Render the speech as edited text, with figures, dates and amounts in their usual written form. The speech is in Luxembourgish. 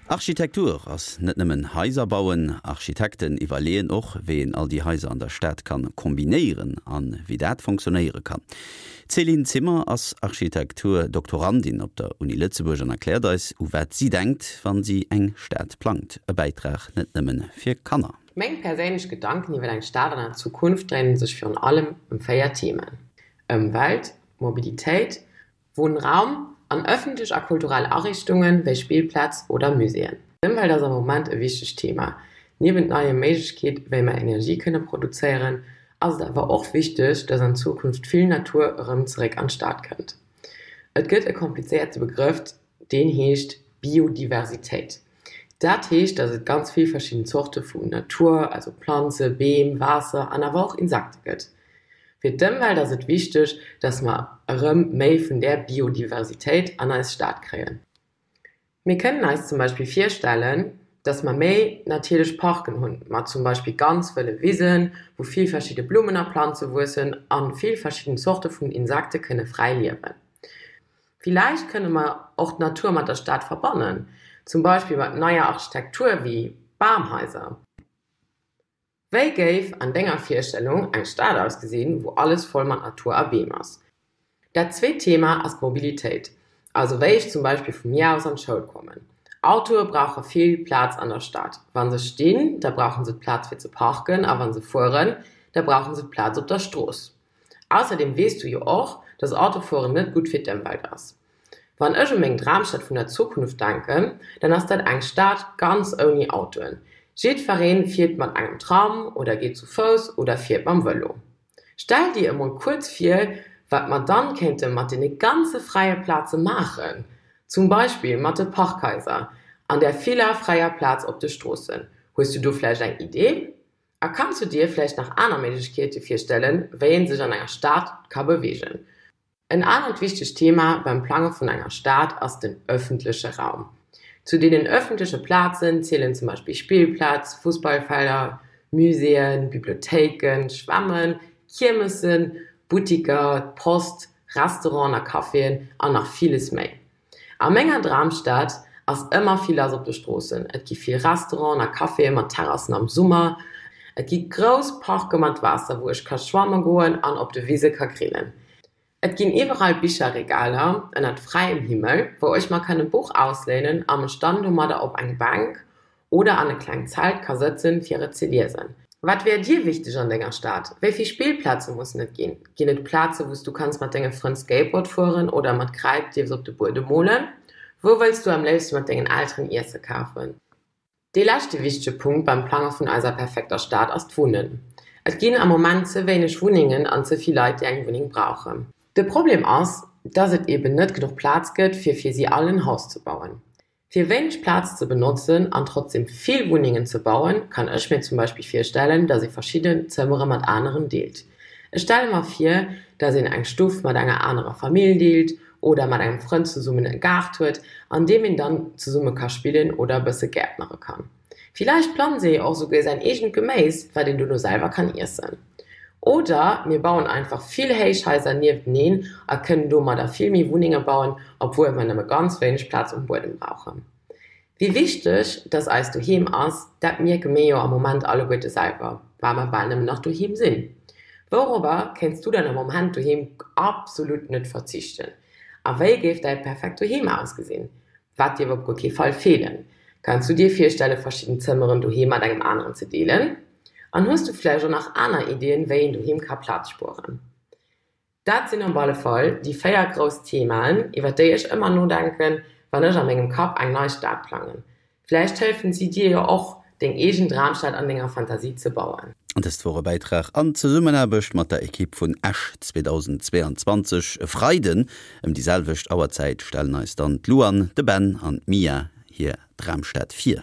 Architektur ass net nëmmen Haiser bauen. Architekten iwwerleeën och, wéi een all déi Haiser an der Stad kann kombinéieren an wéi dat fonctionnéiere kann. D'Céline Zimmer ass Architektur-Doktorandin op der Uni Lëtzebuerg an erkläert eis, u wat si denkt, wann si eng Stad plangt. E Bäitrag net nëmmen fir Kanner. Meng perséinlech Gedanken iwwer eng Stad an der Zukunft dréinen sech virun allem ëm 4 Themen, Ëmwelt, Mobilitéit, Wunnraum an ëffentlech a kulturell Ariichtungen, wéi Spillplaz oder Muséeën. D'Ëmwelt ass am Moment e wichtegt Thema. Niewent neie Méiglechkeet, wéi mer Energie kënne produzéieren, ass et awer och wichteg, dass an Zukunft vill Natur erëm zeréck an d'Stad kënnt. Et gëtt e komplizéierte Begrëff, deen heescht Biodiversitéit. Dat heescht, dass et ganz vill verschidden Zorte vu Natur, also Planze, Beem, Waasser an awer och Insekte gëtt. Fir d'Ëmwelt ass et wichteg, dass mer erëm méi vun där Biodiversitéit an eis Stad kréien. Mir kënnen eis zum Beispill virstellen, dass mer méi natierlech Parken hunn, mat zum Beispill ganz wëlle Wisen, wou vill verschidde Blummen a Planze wuessen a vill verschidden Zorte vun Insekte kënne fräi liewen. Villäicht kënne mer och d'Natur mat der Stad verbannen, zum Beispill mat neier Architektur wéi Bamhaiser. Wéi géif an denger Virstellung eng Stad ausgesinn, wou alles voll mat Natur a Beem ass? Dat zweet Thema ass d'Mobilitéit, also wéi ech zum Beispill vu mir aus an d'Schoul kommen. Autoe brauche vill Plaz an der Stad. Wa se stinn, da brauche se d'Plaz fir ze parken a wa se fueren, da brauche se d'Plaz op der Strooss. Ausserdeem weess du jo och, dass Autofueren net gutt fir d'Ëmwelt ass. Wann ech u meng Dramstad vun der Zukunft denken, dann ass dat eng Stad ganz ouni Autoen. Jiddweree fiert mat engem Tram oder geet zu Fouss oder fiert mam Vëlo. Stell dir emol kuerz vir, wat mer dann kéinte mat deene ganze fräie Plaze maachen, zum Beispill mat de Parkhaiser an där viller fräier Plaz op de Stroossen. Hues du do vläicht eng Idee? A kanns du dir vläicht nach aner Méiglechkeete virstellen, wéi ee sech an enger Stad ka beweegen? En anert wichtegt Thema beim Plange vun enger Stad ass den ëffentleche Raum. Zu deenen ëffentleche Plazen zielen zum Beispill Spillplaz, Fussballfelder, Muséeën, Bibliothéiken, Schwämmen, Kiermessen, Buttiker, d'Post, Restauranten a Caféen an nach villes méi. A menger Dramstad ass ëmmer vill lass op de Stroossen. Et gi vill Restauranten a Caféë mat Terrassen am Summer. Et gi grouss Parke mat Waasser, wou ech ka schwamme goen an op de Wise ka grillen. Et ginn iwwerall Bicherregaler ënnert fräiem Himmel, wou ech mer kann e Buch ausléinen a mech dann domadder op eng Bänk oder an e klengt Zelt ka sëtzen, fir et ze liesen. Wat wär dir wichteg an denger Stad? Wéi vill Spillplaze mussen et ginn? Ginn et Plaze wou s du kanns mat denge Frënn Skateboard fueren oder mat Kräid dierfs op de Buedem molen? Wou wëlls du am léifste mat dengen Elteren Iesse kafen? Dee leschte wichtege Punkt beim Plange vun eiser perfekter Stad ass d'Wunnen. Et ginn am Moment ze wéineg Wunnengen an ze vill Leit déi eng Wunneng brauchen. De Problem ass, dass et eben net genuch Plaz gëtt fir fir si all en Haus ze bauen. Fir wéineg Plaz ze benotzen an trotzdem vill Wunnengen ze bauen, kann ech mir zum Beispill virstellen, dass ee verschidden Zëmmere mat aneren deelt. Ech stelle mer vir, dass een eng Stuff mat enger anerer Famill deelt oder mat engem Frënd zesummen e Gaart huet, an deem een dann zesumme ka spillen oder e bësse gäertnere kann. Villäicht planzt ee jo och souguer säin eegent Geméis, wat een dono selwer kann iessen. Oder mir bauen einfach vill Héichhaiser niefteneen a kënnen domadder vill méi Wunnenge bauen, obwuel mer nëmme ganz wéineg Plaz um Buedem brauchen. Wéi wichteg dass eist Doheem ass, dat mierke mir jo am Moment alleguerte selwer, well mer bal nëmmen nach doheem sinn. Wourobber kéints du dann am Moment doheem absolut net verzichten? A wéi géif däi perfekt Doheem ausgesinn? Wat dierf op guer kee Fall feelen? Kanns du dir virstelle verschidden Zëmmeren doheem mat engem aneren ze deelen? An hues du vläicht och nach aner Iddien, wéi een doheem ka Plaz spueren? Dat sinn op alle Fall déi 4 grouss Themaen, iwwer déi ech ëmmer nodenken, wann ech a mengem Kapp eng nei Stad plangen. Vläicht hëllefen si dir jo och, deng eegen Dramstad an denger Fantasie ze bauen. Dëst wor e Bäitrag an Zesummenaarbecht mat der Ekipp vun Esch 2022. E Freiden ëm déi selwecht Auerzäit stellen eis dann d'Luan, de Ben an d'Mia hir Dramstad vir.